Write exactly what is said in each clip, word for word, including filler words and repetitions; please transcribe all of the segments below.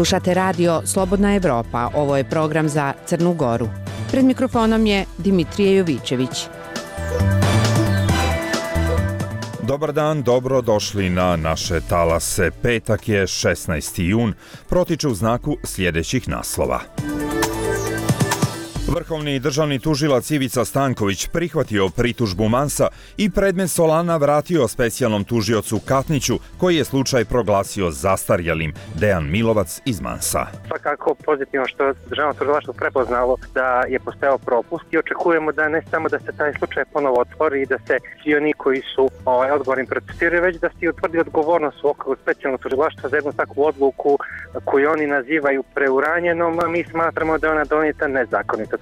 Slušate radio Slobodna Evropa, ovo je program za Crnu Goru. Pred mikrofonom je Dimitrije Jovićević. Dobar dan, dobro došli na naše talase. Petak je šesnaesti jun, protiče u znaku sljedećih naslova. Vrhovni državni tužilac Ivica Stanković prihvatio pritužbu Mansa i predmet Solana vratio specijalnom tužiocu Katniću, koji je slučaj proglasio zastarjelim. Dejan Milovac iz Mansa. Svakako pozitivno što je državno tužilaštvo prepoznalo da je postojao propust i očekujemo da ne samo da se taj slučaj ponovo otvori i da se svi oni koji su ovaj, odgovorni procesuiraju, već da se utvrdi odgovornost u okviru specijalnog tužilaštva za jednu takvu odluku koju oni nazivaju preuranjenom, a mi smatramo da je ona donijeta nezakonito.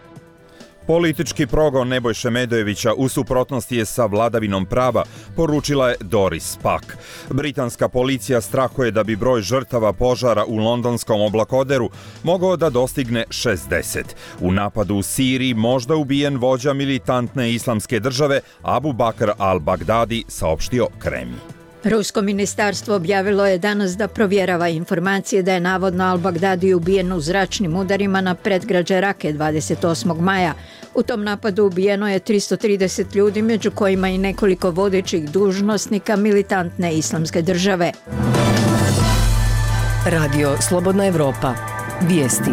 Politički progon Nebojše Medojevića u suprotnosti je sa vladavinom prava, poručila je Doris Pack. Britanska policija strahuje da bi broj žrtava požara u londonskom oblakoderu mogao da dostigne šezdeset. U napadu u Siriji možda ubijen vođa militantne islamske države Abu Bakr al-Baghdadi, saopštio Kremlj. Rusko ministarstvo objavilo je danas da provjerava informacije da je navodno al-Baghdadi ubijen u zračnim udarima na predgrađe Rake dvadeset osmog maja. U tom napadu ubijeno je tristo trideset ljudi, među kojima i nekoliko vodećih dužnosnika militantne islamske države. Radio Slobodna Evropa. Vijesti.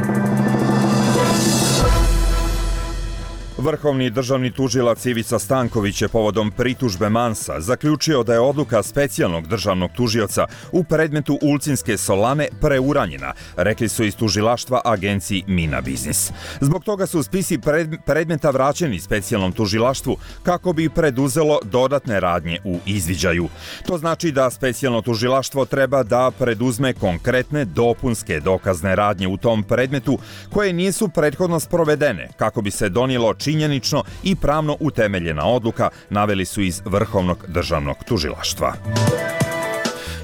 Vrhovni državni tužilac Ivica Stanković je povodom pritužbe Mansa zaključio da je odluka specijalnog državnog tužioca u predmetu Ulcinske Solane preuranjena, rekli su iz tužilaštva agenciji Mina Biznis. Zbog toga su spisi predmeta vraćeni specijalnom tužilaštvu kako bi preduzelo dodatne radnje u izviđaju. To znači da specijalno tužilaštvo treba da preduzme konkretne dopunske dokazne radnje u tom predmetu koje nisu prethodno sprovedene kako bi se donijelo činjenično i pravno utemeljena odluka, naveli su iz Vrhovnog državnog tužilaštva.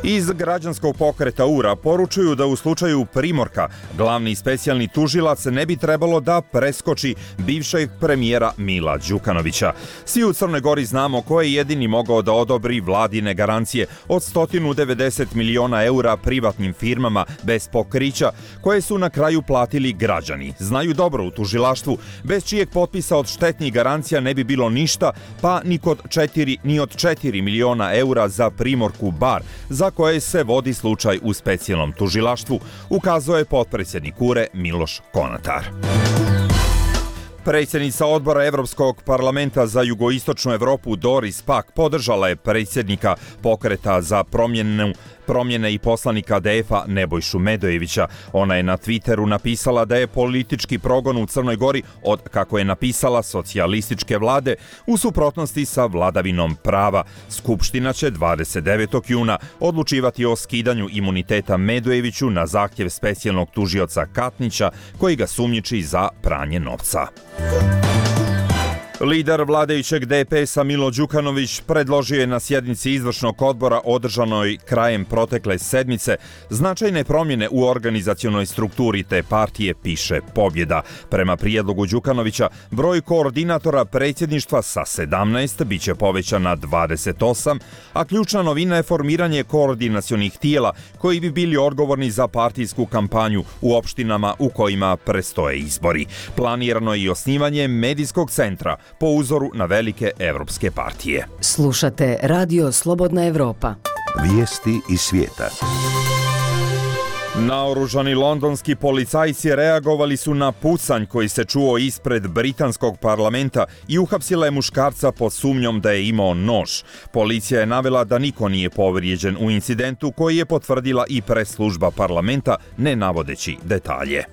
Iz građanskog pokreta U R A poručuju da u slučaju Primorka glavni specijalni tužilac ne bi trebalo da preskoči bivšeg premijera Mila Đukanovića. Svi u Crnoj Gori znamo ko je jedini mogao da odobri vladine garancije od sto devedeset miliona eura privatnim firmama bez pokrića, koje su na kraju platili građani. Znaju dobro u tužilaštvu, bez čijeg potpisa od štetnih garancija ne bi bilo ništa, pa ni, kod četiri, ni od četiri miliona eura za Primorku bar, za koje se vodi slučaj u specijalnom tužilaštvu, ukazao je potpredsjednik U R E Miloš Konatar. Predsjednica odbora Evropskog parlamenta za jugoistočnu Evropu Doris Pack podržala je predsjednika pokreta za promjenu promjene i poslanika D F A Nebojšu Medojevića. Ona je na Twitteru napisala da je politički progon u Crnoj Gori od, kako je napisala, socijalističke vlade u suprotnosti sa vladavinom prava. Skupština će dvadeset devetog juna odlučivati o skidanju imuniteta Medojeviću na zahtjev specijalnog tužioca Katnića, koji ga sumnjiči za pranje novca. Lider vladajućeg D P S-a Milo Đukanović predložio je na sjednici izvršnog odbora održanoj krajem protekle sedmice značajne promjene u organizacionoj strukturi te partije, piše Pobjeda. Prema prijedlogu Đukanovića, broj koordinatora predsjedništva sa sedamnaest biće povećan na dvadeset osam, a ključna novina je formiranje koordinacionih tijela koji bi bili odgovorni za partijsku kampanju u opštinama u kojima prestoje izbori. Planirano je i osnivanje medijskog centra po uzoru na velike evropske partije. Slušate Radio Slobodna Evropa. Vijesti iz svijeta. Naoružani londonski policajci reagovali su na pucanj koji se čuo ispred britanskog parlamenta i uhapsila je muškarca pod sumnjom da je imao nož. Policija je navela da niko nije povrijeđen u incidentu, koji je potvrdila i press-služba parlamenta, ne navodeći detalje.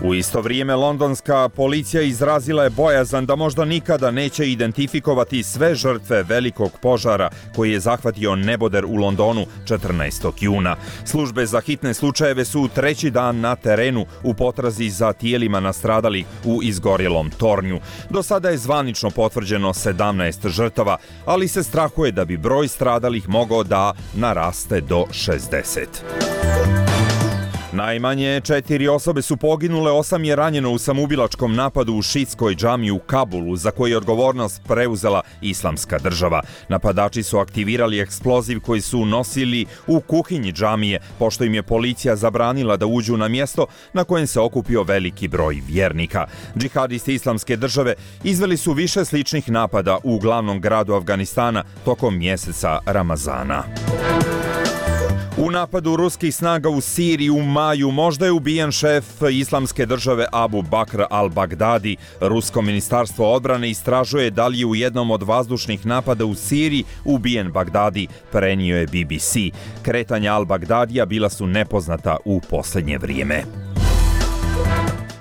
U isto vrijeme londonska policija izrazila je bojazan da možda nikada neće identifikovati sve žrtve velikog požara koji je zahvatio neboder u Londonu četrnaestog juna. Službe za hitne slučajeve su treći dan na terenu u potrazi za tijelima nastradalih u izgorjelom tornju. Do sada je zvanično potvrđeno sedamnaest žrtava, ali se strahuje da bi broj stradalih mogao da naraste do šezdeset. Najmanje četiri osobe su poginule, osam je ranjeno u samoubilačkom napadu u šitskoj džamiji u Kabulu, za koji je odgovornost preuzela Islamska država. Napadači su aktivirali eksploziv koji su nosili u kuhinji džamije, pošto im je policija zabranila da uđu na mjesto na kojem se okupio veliki broj vjernika. Džihadisti Islamske države izveli su više sličnih napada u glavnom gradu Afganistana tokom mjeseca Ramazana. U napadu ruskih snaga u Siriji u maju možda je ubijen šef Islamske države Abu Bakr al-Baghdadi. Rusko ministarstvo odbrane istražuje da li je u jednom od vazdušnih napada u Siriji ubijen Baghdadi, prenio je B B C. Kretanja al-Baghdadija bila su nepoznata u posljednje vrijeme.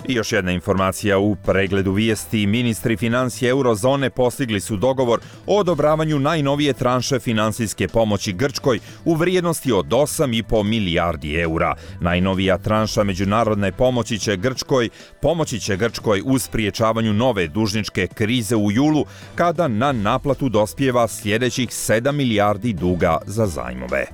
I još jedna informacija u pregledu vijesti. Ministri financije eurozone postigli su dogovor o odobravanju najnovije tranše finansijske pomoći Grčkoj u vrijednosti od osam i po milijardi eura. Najnovija tranša međunarodne pomoći će Grčkoj pomoći će Grčkoj u spriječavanju nove dužničke krize u julu, kada na naplatu dospijeva sljedećih sedam milijardi duga za zajmove.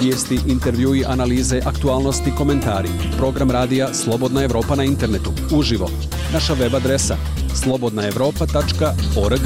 Vijesti, intervjui, analize, aktualnosti, komentari. Program radija Slobodna Evropa na internetu. Uživo. Naša web adresa slobodna evropa tačka org.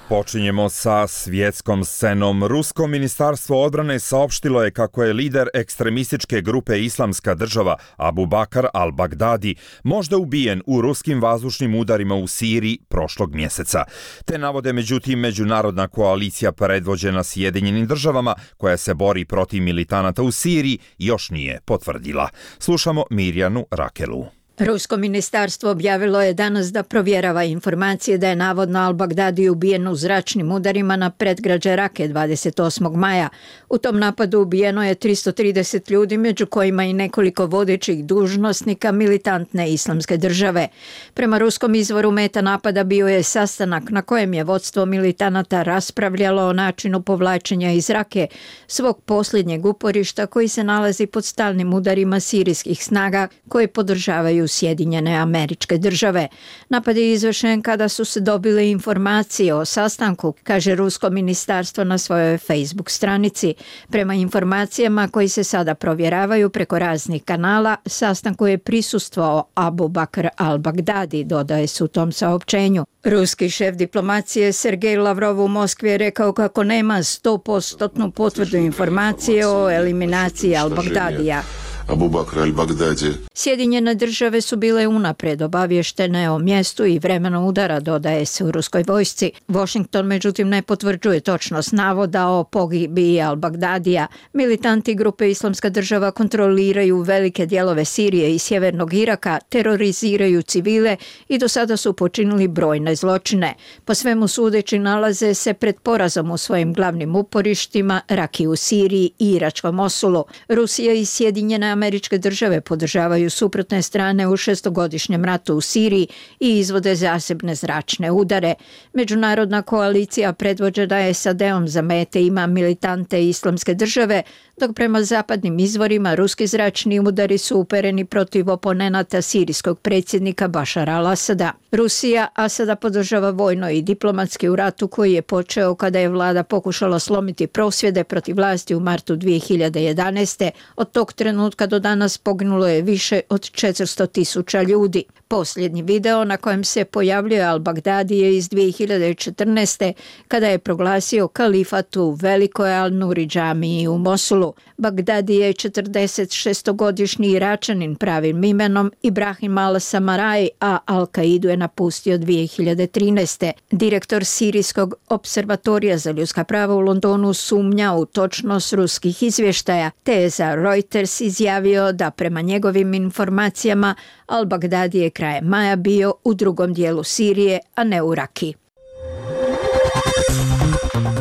Počinjemo sa svjetskom scenom. Rusko ministarstvo odbrane saopštilo je kako je lider ekstremističke grupe Islamska država Abu Bakr al-Baghdadi možda ubijen u ruskim vazdušnim udarima u Siriji prošlog mjeseca. Te navode međutim međunarodna koalicija predvođena Sjedinjenim državama koja se bori protiv militanata u Siriji još nije potvrdila. Slušamo Mirjanu Rakelu. Rusko ministarstvo objavilo je danas da provjerava informacije da je navodno al-Baghdadi ubijen u zračnim udarima na predgrađe Rake dvadeset osmog maja. U tom napadu ubijeno je tristo trideset ljudi, među kojima i nekoliko vodećih dužnosnika militantne Islamske države. Prema ruskom izvoru meta napada bio je sastanak na kojem je vodstvo militanata raspravljalo o načinu povlačenja iz Rake, svog posljednjeg uporišta koji se nalazi pod stalnim udarima sirijskih snaga koje podržavaju Sjedinjene Američke Države. Napad je izvršen kada su se dobile informacije o sastanku, kaže rusko ministarstvo na svojoj Facebook stranici. Prema informacijama koji se sada provjeravaju preko raznih kanala, sastanku je prisustvovao Abu Bakr al-Baghdadi, dodaje se u tom saopćenju. Ruski šef diplomacije Sergej Lavrov u Moskvi je rekao kako nema sto posto potvrdu informacije o eliminaciji al-Baghdadija. Abu Bakr al-Baghdadi. Sjedinjene države su bile unaprijed obavještene o mjestu i vremenu udara, dodaje se u ruskoj vojsci. Washington međutim ne potvrđuje točnost navoda o pogibiji al-Baghdadija. Militanti grupe Islamska država kontroliraju velike dijelove Sirije i sjevernog Iraka, teroriziraju civile i do sada su počinili brojne zločine. Po svemu sudeći nalaze se pred porazom u svojim glavnim uporištima, Raki u Siriji i iračkom Mosulu. Rusija i Sjedinjene Američke države podržavaju suprotne strane u šestogodišnjem ratu u Siriji i izvode zasebne zračne udare. Međunarodna koalicija predvođena S A D-om za mete ima militante Islamske države, dok prema zapadnim izvorima ruski zračni udari su upereni protiv oponenata sirijskog predsjednika Bašara al-Asada. Rusija Asada podržava vojno i diplomatski u ratu koji je počeo kada je vlada pokušala slomiti prosvjede protiv vlasti u martu dvije hiljade jedanaeste. Od tog trenutka do danas poginulo je više od četiristo tisuća ljudi. Posljednji video na kojem se pojavljuje al-Baghdadi je iz dvije hiljade četrnaeste. kada je proglasio kalifat u velikoj al-Nuri džamiji u Mosulu. Baghdadi je četrdeset šestogodišnji Iračanin pravim imenom Ibrahim al-Samaraj, a Al-Kaidu je napustio dvije hiljade trinaeste. Direktor Sirijskog observatorija za ljudska prava u Londonu sumnja u točnost ruskih izvještaja, te je za Reuters izjavio da prema njegovim informacijama al-Baghdadi je krajem maja bio u drugom dijelu Sirije, a ne u Raki.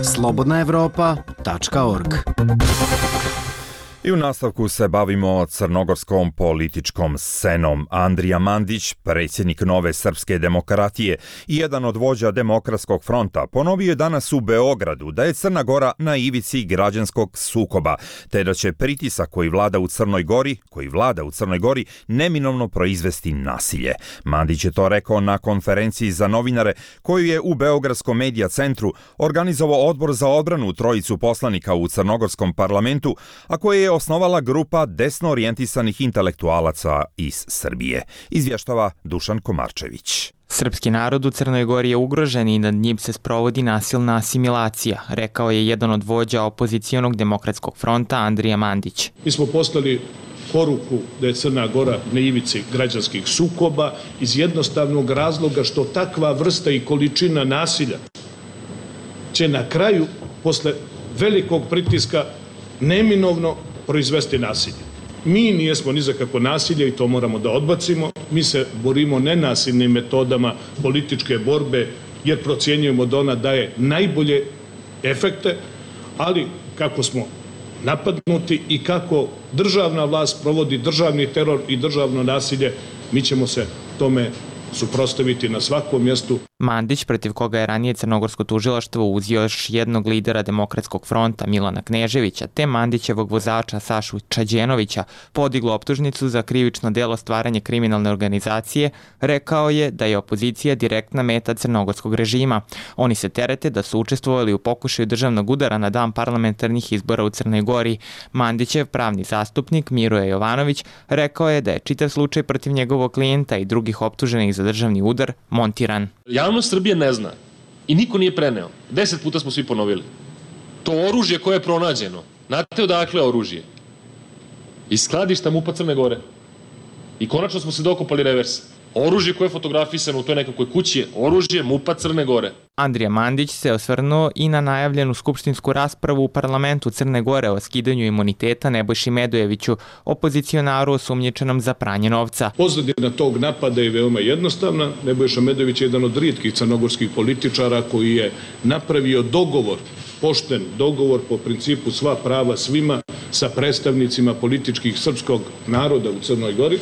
slobodna evropa tačka org. I u nastavku se bavimo crnogorskom političkom scenom. Andrija Mandić, predsjednik Nove srpske demokratije i jedan od vođa Demokratskog fronta, ponovio je danas u Beogradu da je Crna Gora na ivici građanskog sukoba, te da će pritisak koji vlada u Crnoj Gori, koji vlada u Crnoj Gori, neminovno proizvesti nasilje. Mandić je to rekao na konferenciji za novinare koju je u Beogradskom medija centru organizovao Odbor za odbranu trojicu poslanika u crnogorskom parlamentu, a koje je osnovala grupa desno orijentisanih intelektualaca iz Srbije. Izvještava Dušan Komarčević. Srpski narod u Crnoj Gori je ugrožen i nad njim se sprovodi nasilna asimilacija, rekao je jedan od vođa opozicionog Demokratskog fronta Andrija Mandić. Mi smo poslali poruku da je Crna Gora na ivici građanskih sukoba iz jednostavnog razloga što takva vrsta i količina nasilja će na kraju, posle velikog pritiska, neminovno proizvesti nasilje. Mi nijesmo ni za kako nasilje i to moramo da odbacimo. Mi se borimo nenasilnim metodama političke borbe jer procjenjujemo da ona daje najbolje efekte, ali kako smo napadnuti i kako državna vlast provodi državni teror i državno nasilje, mi ćemo se tome suprotstaviti na svakom mjestu. Mandić, protiv koga je ranije crnogorsko tužilaštvo uzeo još jednog lidera Demokratskog fronta Milana Kneževića, te Mandićevog vozača Sašu Čađenovića, podiglo optužnicu za krivično delo stvaranje kriminalne organizacije, rekao je da je opozicija direktna meta crnogorskog režima. Oni se terete da su učestvovali u pokušaju državnog udara na dan parlamentarnih izbora u Crnoj Gori. Mandićev pravni zastupnik Miroje Jovanović rekao je da je čitav slučaj protiv njegovog klijenta i drugih optuženih za državni udar montiran. Javnost Srbije ne zna i niko nije preneo. Deset puta smo svi ponovili. To oružje koje je pronađeno, znate odakle je oružje? Iz skladišta MUP-a Crne Gore. I konačno smo se dokopali reversa. Oružje koje je fotografisano u toj nekakvoj kući je oružje MUP-a Crne Gore. Andrija Mandić se osvrnuo i na najavljenu skupštinsku raspravu u parlamentu Crne Gore o skidanju imuniteta Nebojši Medojeviću, opozicionaru osumnjičenom za pranje novca. Pozadina tog napada je veoma jednostavna. Nebojša Medojević je jedan od rijetkih crnogorskih političara koji je napravio dogovor, pošten dogovor po principu sva prava svima sa predstavnicima političkih srpskog naroda u Crnoj Gori.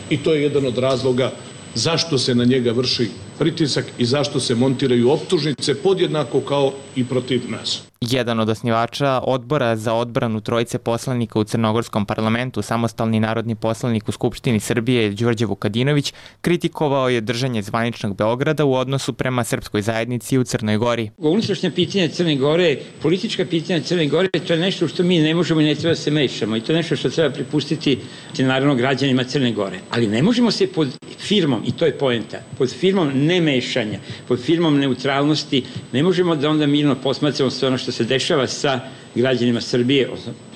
I to je jedan od razloga zašto se na njega vrši pritisak i zašto se montiraju optužnice podjednako kao i protiv nas. Jedan od osnivača Odbora za odbranu trojice poslanika u crnogorskom parlamentu, samostalni narodni poslanik u Skupštini Srbije Đorđe Vukadinović, kritikovao je držanje zvaničnog Beograda u odnosu prema srpskoj zajednici u Crnoj Gori. Unutrašnja pitanja Crne Gore, politička pitanja Crne Gore, to je nešto što mi ne možemo i ne treba se mešamo i to je nešto što treba prepustiti naravno građanima Crne Gore. Ali ne možemo se pod firmom, i to je poenta, pod firmom nemešanja, pod firmom neutralnosti, ne možemo da onda mirno posmatramo sve ono što se dešava sa građanima Srbije,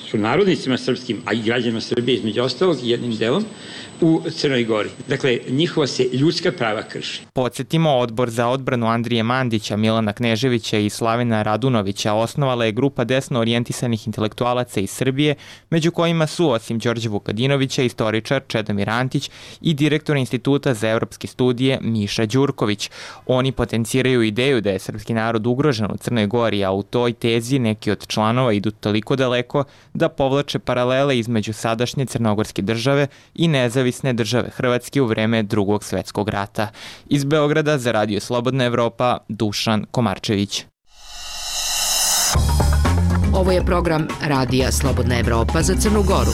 su narodnicima srpskim, a i građanima Srbije između ostalog jednim delom, u Crnoj Gori. Dakle, njihova se ljudska prava krši. Podsjetimo, Odbor za odbranu Andrije Mandića, Milana Kneževića i Slavina Radunovića osnovala je grupa desno orijentisanih intelektualaca iz Srbije, među kojima su, osim Đorđe Vukadinovića, istoričar Čedomir Antić i direktor Instituta za evropske studije Miša Đurković. Oni potenciraju ideju da je srpski narod ugrožen u Crnoj Gori, a u toj tezi neki od članova idu toliko daleko da povlače paralele između sadašnje crnogorske države i nezavisne države Hrvatske u vreme Drugog svjetskog rata. Iz Beograda za Radio Slobodna Evropa, Dušan Komarčević. Ovo je program Radija Slobodna Evropa za Crnu Goru.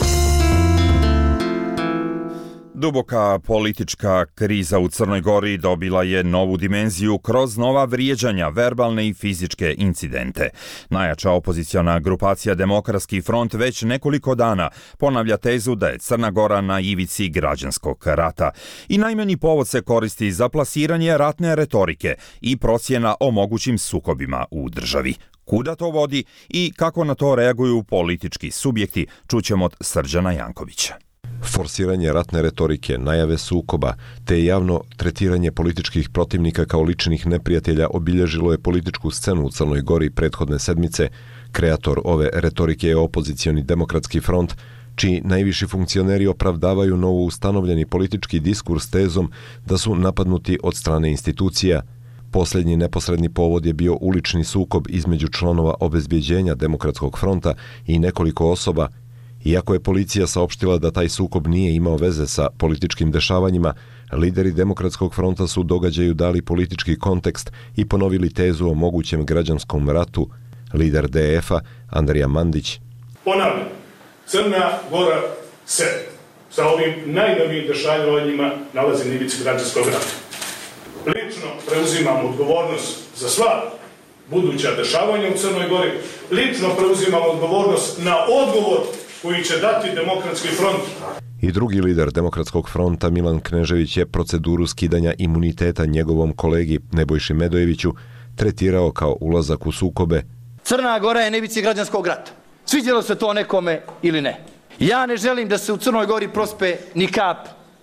Duboka politička kriza u Crnoj Gori dobila je novu dimenziju kroz nova vrijeđanja, verbalne i fizičke incidente. Najjača opoziciona grupacija Demokratski front već nekoliko dana ponavlja tezu da je Crna Gora na ivici građanskog rata. I najmanji povod se koristi za plasiranje ratne retorike i procjena o mogućim sukobima u državi. Kuda to vodi i kako na to reaguju politički subjekti, čućemo od Srđana Jankovića. Forsiranje ratne retorike, najave sukoba, te javno tretiranje političkih protivnika kao ličnih neprijatelja obilježilo je političku scenu u Crnoj Gori prethodne sedmice. Kreator ove retorike je opozicioni Demokratski front, čiji najviši funkcioneri opravdavaju novo ustanovljeni politički diskurs tezom da su napadnuti od strane institucija. Posljednji neposredni povod je bio ulični sukob između članova obezbjeđenja Demokratskog fronta i nekoliko osoba. Iako je policija saopštila da taj sukob nije imao veze sa političkim dešavanjima, lideri Demokratskog fronta su događaju dali politički kontekst i ponovili tezu o mogućem građanskom ratu. Lider D F-a, Andrija Mandić. Ponavljam, Crna Gora se sa ovim najnovijim dešavanjima nalazi na ivici građanskog rata. Lično preuzimam odgovornost za sva buduća dešavanja u Crnoj Gori. Lično preuzimam odgovornost na odgovor koji će dati Demokratski front. I drugi lider Demokratskog fronta, Milan Knežević, je proceduru skidanja imuniteta njegovom kolegi Nebojši Medojeviću tretirao kao ulazak u sukobe. Crna Gora je na ivici građanskog rata. Sviđalo se to nekome ili ne. Ja ne želim da se u Crnoj Gori prospe ni kap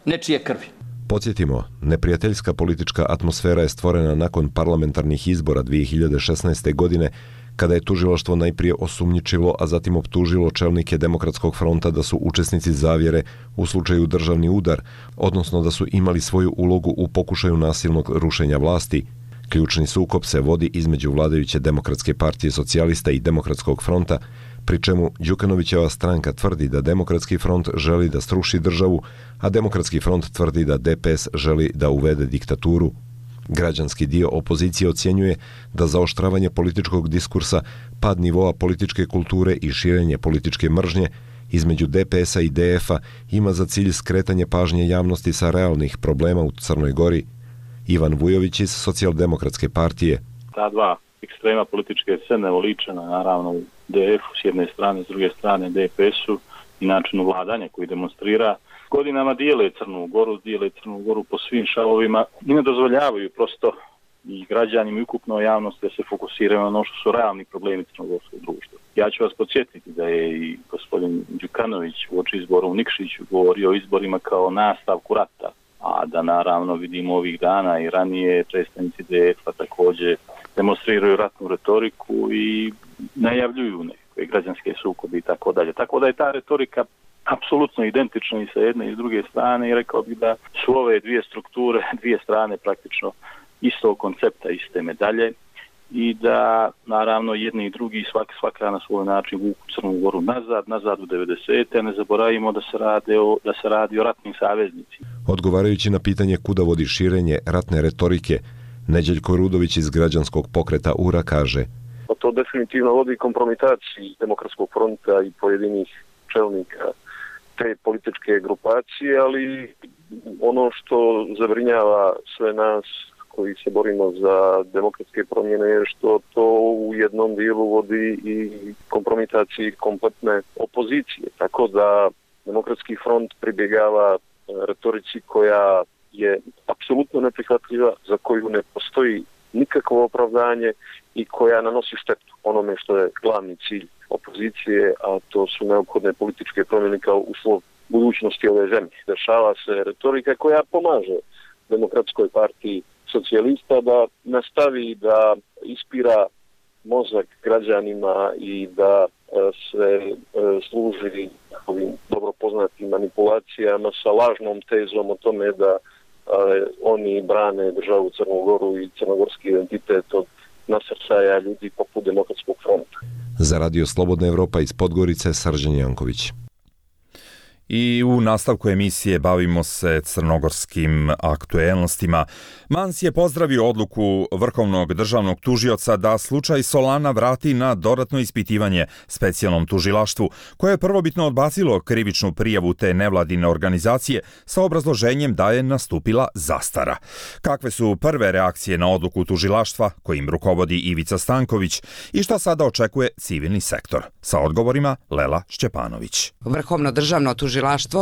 nečije krvi. Podsjetimo, neprijateljska politička atmosfera je stvorena nakon parlamentarnih izbora dvije hiljade šesnaeste. godine, kada je tužilaštvo najprije osumnjičilo, a zatim optužilo čelnike Demokratskog fronta da su učesnici zavjere u slučaju državni udar, odnosno da su imali svoju ulogu u pokušaju nasilnog rušenja vlasti. Ključni sukob se vodi između vladajuće Demokratske partije socijalista i Demokratskog fronta, pri čemu Đukanovićeva stranka tvrdi da Demokratski front želi da sruši državu, a Demokratski front tvrdi da D P S želi da uvede diktaturu. Građanski dio opozicije ocjenjuje da zaoštravanje političkog diskursa, pad nivoa političke kulture i širenje političke mržnje između D P S-a i D F-a ima za cilj skretanje pažnje javnosti sa realnih problema u Crnoj Gori. Ivan Vujović iz Socijaldemokratske partije. Ta dva ekstrema političke scene oličena naravno u D F-u s jedne strane, s druge strane D P S-u i načinu vladanja koji demonstrira godinama dijele Crnu Goru, dijele Crnu Goru po svim šavovima i ne dozvoljavaju prosto i građanima i ukupno javnosti da se fokusiraju na ono što su realni problemi crnogorskog društva. Ja ću vas podsjetiti da je i gospodin Đukanović uoči izbora u Nikšiću govorio o izborima kao nastavku rata, a da naravno vidimo ovih dana i ranije predstavnici D F-a također demonstriraju ratnu retoriku i najavljuju nekakve građanske sukobe i tako dalje. Tako da je ta retorika apsolutno identična i sa jedne i s druge strane i rekao bih da su ove dvije strukture, dvije strane praktično istog koncepta, iste medalje i da naravno jedni i drugi svaka, svaka na svoj način vuku Crnu Goru nazad, nazad u devedesete. Ne zaboravimo da se, rade o, da se radi o ratnim saveznicima. Odgovarajući na pitanje kuda vodi širenje ratne retorike, Neđeljko Rudović iz Građanskog pokreta U R A kaže: To definitivno vodi kompromitaciji Demokratskog fronta i pojedinih čelnika te političke grupacije, ali ono što zabrinjava sve nas koji se borimo za demokratske promjene je što to u jednom dijelu vodi i kompromitaciji kompletne opozicije. Tako da Demokratski front pribjegava retorici koja je apsolutno neprihvatljiva, za koju ne postoji nikakvo opravdanje i koja nanosi štetu onome što je glavni cilj opozicije, a to su neophodne političke promjene kao uslov budućnosti ove zemlje. Dešava se retorika koja pomaže Demokratskoj partiji socijalista da nastavi da ispira mozak građanima i da se služi ovim dobro poznatim manipulacijama sa lažnom tezom o tome da oni brane državu Crnu Goru i crnogorski identitet od nasrcaja ljudi poput Demokratskog fronta. Za Radio Slobodna Evropa iz Podgorice, Srđan Janković. I u nastavku emisije bavimo se crnogorskim aktuelnostima. Mans je pozdravio odluku Vrhovnog državnog tužioca da slučaj Solana vrati na dodatno ispitivanje specijalnom tužilaštvu, koje je prvobitno odbacilo krivičnu prijavu te nevladine organizacije sa obrazloženjem da je nastupila zastara. Kakve su prve reakcije na odluku tužilaštva kojim rukovodi Ivica Stanković i šta sada očekuje civilni sektor? Sa odgovorima Lela Šćepanović. Vrhovno državno tužilaštvo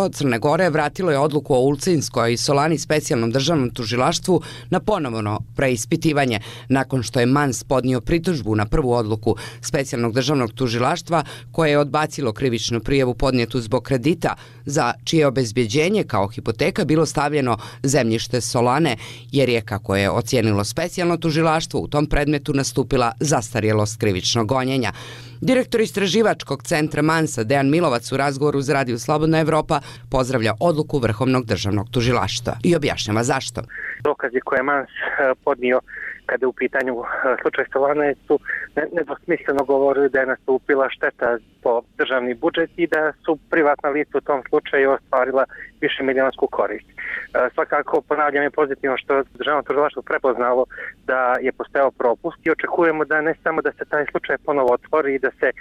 Crne Gore vratilo je odluku o Ulcinskoj i Solani specijalnom državnom tužilaštvu na ponovno preispitivanje, nakon što je Mans podnio pritužbu na prvu odluku specijalnog državnog tužilaštva koje je odbacilo krivičnu prijavu podnijetu zbog kredita za čije obezbjeđenje kao hipoteka bilo stavljeno zemljište Solane, jer je, kako je ocijenilo specijalno tužilaštvo, u tom predmetu nastupila zastarjelost krivičnog gonjenja. Direktor istraživačkog centra Mansa Dejan Milovac u razgovoru za Radio Slobodna Evropa pozdravlja odluku Vrhovnog državnog tužilaštva i objašnjava zašto. Dokazi koje je Mans podnio kada je u pitanju slučaj Solane su nedvosmisleno govorili da je nastupila šteta po državni budžet i da su privatna lica u tom slučaju ostvarila više milionsku korist. Svakako ponavljam je pozitivno što državno tužilaštvo prepoznalo da je postojao propust i očekujemo da ne samo da se taj slučaj ponovo otvori i da se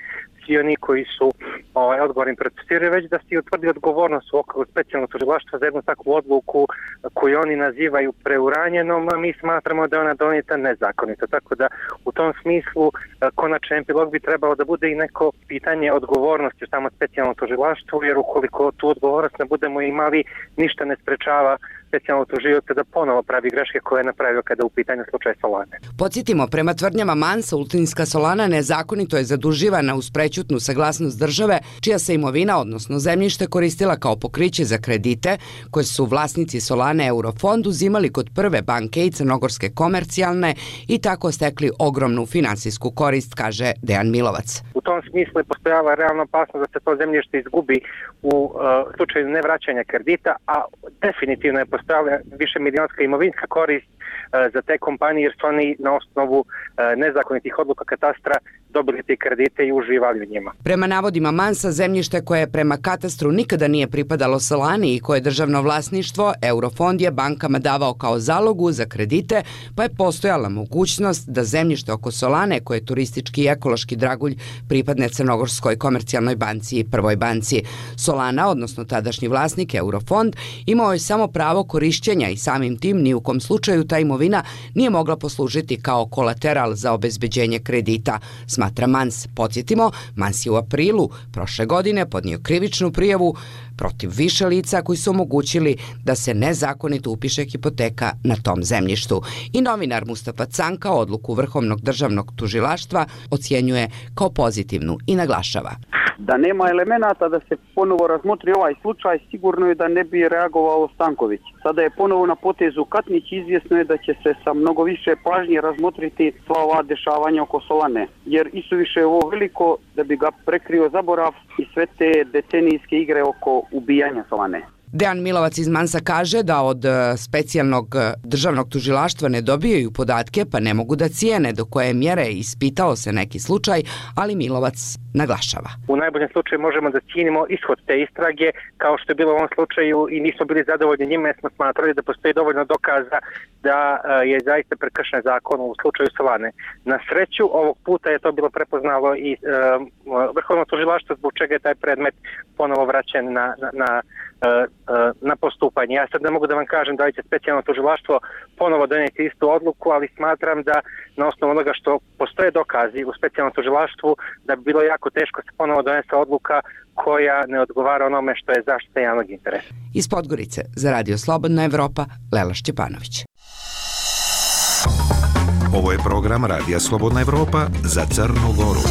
svi oni koji su ovaj, odgovorni procesuiraju, već da se utvrdi odgovornost u okviru specijalnog tužilaštva za jednu takvu odluku koju oni nazivaju preuranjenom, a mi smatramo da je ona donijeta nezakonito. Tako da u tom smislu konačan epilog bi trebalo da bude i neko pitanje odgovornosti u samo specijalnom tužilaštvu, jer ukoliko tu odgovornost ne budemo imali, ništa ne sprečava specijalno tužioca da ponovo pravi greške koje je napravio kada u pitanju slučaj Solane. Podsjetimo, prema tvrdnjama Mansa, Ulcinska Solana nezakonito je zaduživana uz prećutnu saglasnost države, čija se imovina, odnosno zemljište, koristila kao pokriće za kredite koje su vlasnici Solane Eurofond uzimali kod prve banke i crnogorske komercijalne i tako stekli ogromnu finansijsku korist, kaže Dejan Milovac. U tom smislu je postojala realna opasnost da se to zemljište izgubi u uh, slučaju nevraćanja kredita, a definitivno je postojala više milionska imovinska korist uh, za te kompanije, jer su oni na osnovu uh, nezakonitih odluka katastra dobili te kredite i uživali u njima. Prema navodima Mansa, zemljište koje prema katastru nikada nije pripadalo Solani i koje je državno vlasništvo, Eurofond je bankama davao kao zalogu za kredite, pa je postojala mogućnost da zemljište oko Solane, koje je turistički i ekološki dragulj, pripadne Crnogorskoj komercijalnoj banci i Prvoj banci. Solana, odnosno tadašnji vlasnik Eurofond, imao je samo pravo korišćenja i samim tim ni u kom slučaju ta imovina nije mogla poslužiti kao kolateral za obezbeđenje kredita, smatra Mans. Podsjetimo, Mans je u aprilu prošle godine podnio krivičnu prijavu protiv više lica koji su omogućili da se nezakonito upiše hipoteka na tom zemljištu. I novinar Mustafa Canka odluku Vrhovnog državnog tužilaštva ocjenjuje kao pozitivnu i naglašava. Da nema elemenata da se ponovo razmotri ovaj slučaj, sigurno je da ne bi reagovao Stanković. Sada je ponovo na potezu Katnić, izvjesno je da će se sa mnogo više pažnje razmotriti sva ova dešavanja oko Solane, jer isuviše je ovo veliko da bi ga prekrio zaborav i sve te decenijske igre oko ubijanja Solane. Dejan Milovac iz Mansa kaže da od specijalnog državnog tužilaštva ne dobijaju podatke pa ne mogu da cijene do koje mjere ispitao se neki slučaj, ali Milovac naglašava. U najboljem slučaju možemo da cijenimo ishod te istrage, kao što je bilo u ovom slučaju, i nismo bili zadovoljni njima jer smo smatrali da postoji dovoljno dokaza da je zaista prekršen zakon u slučaju Solane. Na sreću ovog puta je to bilo prepoznalo i um, Vrhovno tužilaštvo, zbog čega je taj predmet ponovo vraćen na, na, na na postupanje. Ja sad ne mogu da vam kažem da li će specijalno tužilaštvo ponovo donijeti istu odluku, ali smatram da na osnovu onoga što postoje dokazi u specijalnom tužilaštvu da bi bilo jako teško se ponovo donese odluka koja ne odgovara onome što je zaštita javnog interesa. Iz Podgorice za Radio Slobodna Evropa, Lela Šćepanović. Ovo je program Radija Slobodna Evropa za Crnu Goru.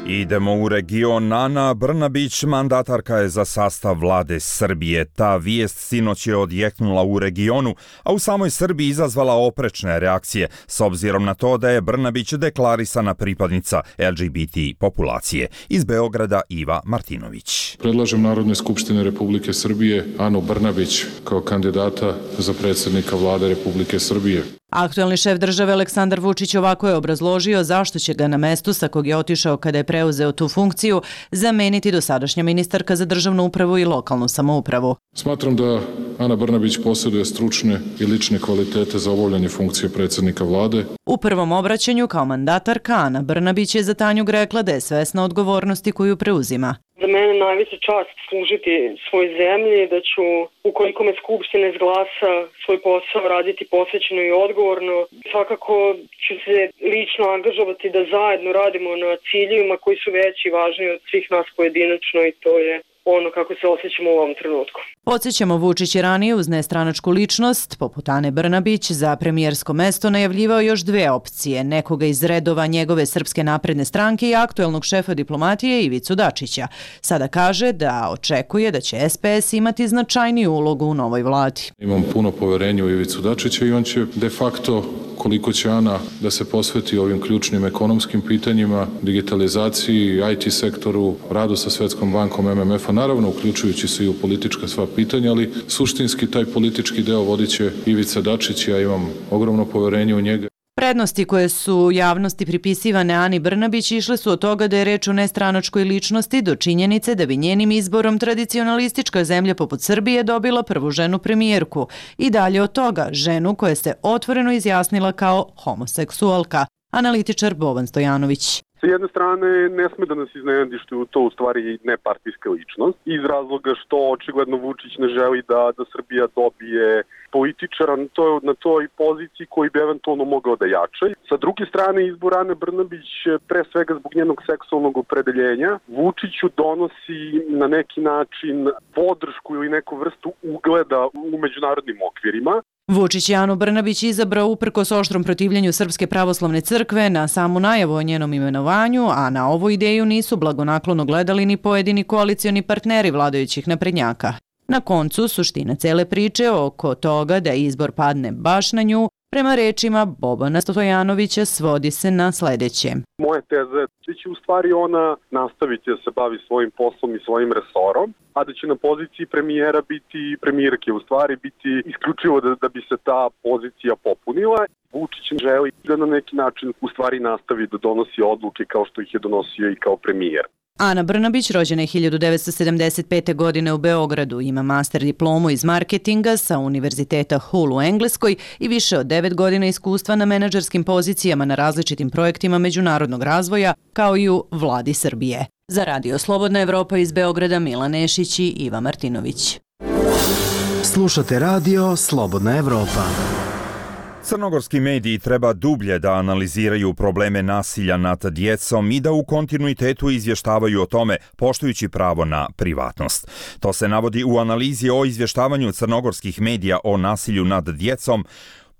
Idemo u region. Ana Brnabić, mandatarka je za sastav vlade Srbije. Ta vijest sinoć je odjeknula u regionu, a u samoj Srbiji izazvala oprečne reakcije, s obzirom na to da je Brnabić deklarisana pripadnica L G B T populacije. Iz Beograda Iva Martinović. Predlažem Narodne skupštine Republike Srbije Anu Brnabić kao kandidata za predsjednika vlade Republike Srbije. Aktualni šef države Aleksandar Vučić ovako je obrazložio zašto će ga na mestu sa kog je otišao kada je preuzeo tu funkciju zameniti dosadašnja ministarka za državnu upravu i lokalnu samoupravu. Smatram da Ana Brnabić posjeduje stručne i lične kvalitete za obavljanje funkcije predsjednika vlade. U prvom obraćanju kao mandatarka Ana Brnabić je za Tanjug rekla da je svesna odgovornosti koju preuzima. Za mene najveća čast služiti svoj zemlji, da ću, ukoliko me Skupština izglasa, svoj posao raditi posvećeno i odgovorno. Svakako ću se lično angažovati da zajedno radimo na ciljevima koji su veći i važni od svih nas pojedinačno i to je ono kako se osjećamo u ovom trenutku. Podsjećamo, Vučić je ranije uz nestranačku ličnost, poput Ane Brnabić, za premijersko mesto najavljivao još dve opcije, nekoga iz redova njegove Srpske napredne stranke i aktuelnog šefa diplomatije Ivicu Dačića. Sada kaže da očekuje da će S P S imati značajniju ulogu u novoj vladi. Imam puno poverenja u Ivicu Dačića i on će de facto koliko će Ana da se posveti ovim ključnim ekonomskim pitanjima, digitalizaciji, I T sektoru, radu sa Svetskom bankom M M F-a, naravno uključujući se i u politička sva pitanja, ali suštinski taj politički deo vodit će Ivica Dačić, ja imam ogromno poverenje u njega. Prednosti koje su javnosti pripisivane Ani Brnabić išle su od toga da je reč o nestranačkoj ličnosti do činjenice da bi njenim izborom tradicionalistička zemlja poput Srbije dobila prvu ženu premijerku i dalje od toga ženu koja se otvoreno izjasnila kao homoseksualka. Analitičar Boban Stojanović. Sa jedne strane, ne sme da nas iznenadi što je to u stvari nepartijska ličnost, iz razloga što očigledno Vučić ne želi da, da Srbija dobije političara na toj, na toj poziciji koji bi eventualno mogao da jače. Sa druge strane, izbor Ane Brnabić, pre svega zbog njenog seksualnog opredeljenja, Vučiću donosi na neki način podršku ili neku vrstu ugleda u međunarodnim okvirima. Vučić je Anu Brnabić izabrao uprkos oštrom protivljenju Srpske pravoslavne crkve na samu najavu o njenom imenovanju, a na ovu ideju nisu blagonaklono gledali ni pojedini koalicioni partneri vladajućih naprednjaka. Na koncu, suština cele priče oko toga da izbor padne baš na nju, prema rečima Bobana Stojanovića, svodi se na sledeće. Moja teza je da će u stvari ona nastaviti da se bavi svojim poslom i svojim resorom, a da će na poziciji premijera biti premijerke, u stvari biti isključivo da, da bi se ta pozicija popunila. Vučić želi da na neki način u stvari nastavi da donosi odluke kao što ih je donosio i kao premijer. Ana Brnabić, rođena je hiljadu devetsto sedamdeset pete. godine u Beogradu, ima master diplomu iz marketinga sa Univerziteta Hull u Engleskoj i više od devet godina iskustva na menadžerskim pozicijama na različitim projektima međunarodnog razvoja, kao i u vladi Srbije. Za Radio Slobodna Evropa iz Beograda, Milan Nešić i Iva Martinović. Slušate Radio Slobodna Evropa. Crnogorski mediji treba dublje da analiziraju probleme nasilja nad djecom i da u kontinuitetu izvještavaju o tome, poštujući pravo na privatnost. To se navodi u analizi o izvještavanju crnogorskih medija o nasilju nad djecom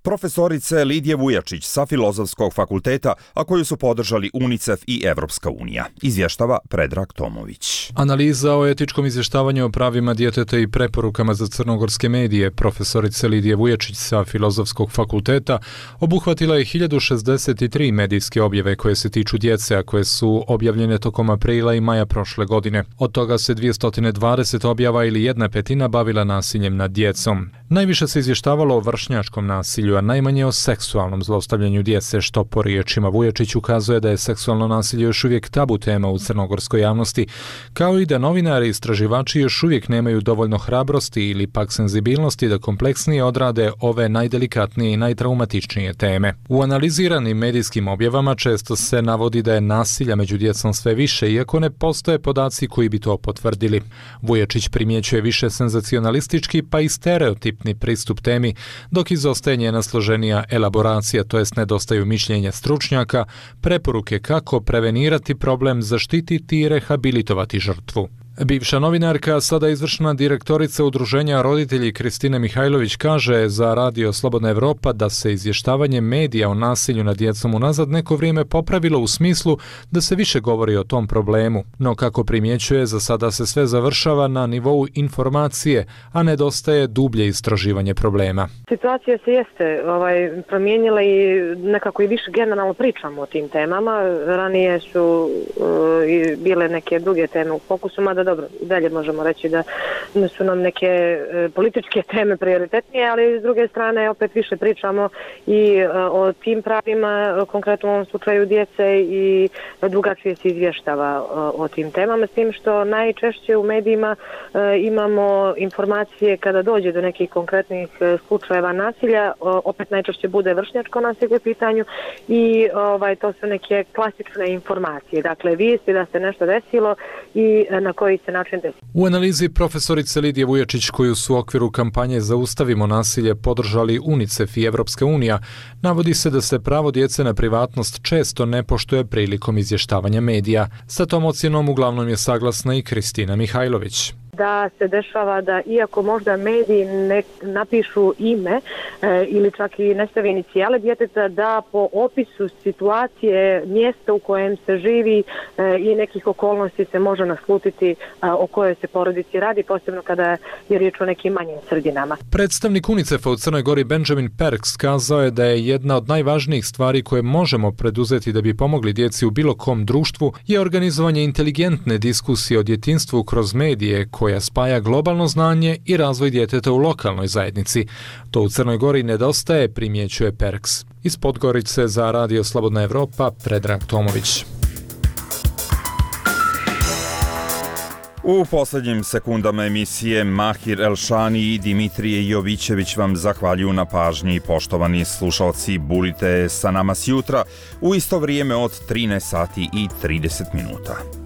profesorice Lidije Vujačić sa Filozofskog fakulteta, a koju su podržali UNICEF i Evropska unija. Izvještava Predrag Tomović. Analiza o etičkom izvještavanju o pravima djeteta i preporukama za crnogorske medije profesorice Lidije Vujačić sa Filozofskog fakulteta obuhvatila je hiljadu šezdeset tri medijske objave koje se tiču djece, a koje su objavljene tokom aprila i maja prošle godine. Od toga se dvjesto dvadeset objava ili jedna petina bavila nasiljem nad djecom. Najviše se izvještavalo o vršnjačkom nasilju, a najmanje o seksualnom zlostavljanju djece, što po riječima Vujačić ukazuje da je seksualno nasilje još uvijek tabu tema u crnogorskoj javnosti, kao i da novinari i istraživači još uvijek nemaju dovoljno hrabrosti ili pak senzibilnosti da kompleksnije odrade ove najdelikatnije i najtraumatičnije teme. U analiziranim medijskim objavama često se navodi da je nasilja među djecom sve više, iako ne postoje podaci koji bi to potvrdili. Vujačić primjećuje više senzacionalistički pa i stereotipni pristup temi, dok izostaje njena složenija elaboracija, to jest nedostaju mišljenja stručnjaka, preporuke kako prevenirati problem, zaštititi i rehabilitovati žrtvu. Bivša novinarka, sada izvršna direktorica udruženja roditelji Kristina Mihajlović kaže za Radio Slobodna Evropa da se izvještavanje medija o nasilju nad djecom unazad neko vrijeme popravilo u smislu da se više govori o tom problemu, no kako primjećuje, za sada se sve završava na nivou informacije, a nedostaje dublje istraživanje problema. Situacija se jeste ovaj, promijenila i nekako i više generalno pričamo o tim temama. Ranije su uh, i bile neke druge teme u fokusu, mada dobro, dalje možemo reći da su nam neke e, političke teme prioritetnije, ali s druge strane opet više pričamo i e, o tim pravima, konkretno u ovom slučaju djece, i drugačije se izvještava o, o tim temama, s tim što najčešće u medijima e, imamo informacije kada dođe do nekih konkretnih e, slučajeva nasilja, o, opet najčešće bude vršnjačko nasilje u pitanju i ovaj, to su neke klasične informacije, dakle vijesti da se nešto desilo i e, na koji se način desi. U analizi profesorice Lidije Vujačić, koju su u okviru kampanje Zaustavimo nasilje podržali UNICEF i Evropska unija, navodi se da se pravo djece na privatnost često ne poštuje prilikom izvještavanja medija. Sa tom ocjenom uglavnom je saglasna i Kristina Mihajlović. da se dešava da iako možda mediji ne napišu ime e, ili čak i ne stave inicijale djeteta, da po opisu situacije, mjesta u kojem se živi e, i nekih okolnosti se može naslutiti a, o kojoj se porodici radi, posebno kada je riječ o nekim manjim sredinama. Predstavnik UNICEF-a u Crnoj Gori Benjamin Perks kazao je da je jedna od najvažnijih stvari koje možemo preduzeti da bi pomogli djeci u bilo kom društvu je organizovanje inteligentne diskusije o djetinjstvu kroz medije koja spaja globalno znanje i razvoj djeteta u lokalnoj zajednici. To u Crnoj Gori nedostaje, primjećuje Perks. Iz Podgorice za Radio Slobodna Evropa, Predrag Tomović. U posljednjim sekundama emisije Mahir Elšani i Dimitrije Jovićević vam zahvaljuju na pažnji. Poštovani slušalci, budite sa nama sjutra u isto vrijeme od trinaest sati i trideset minuta.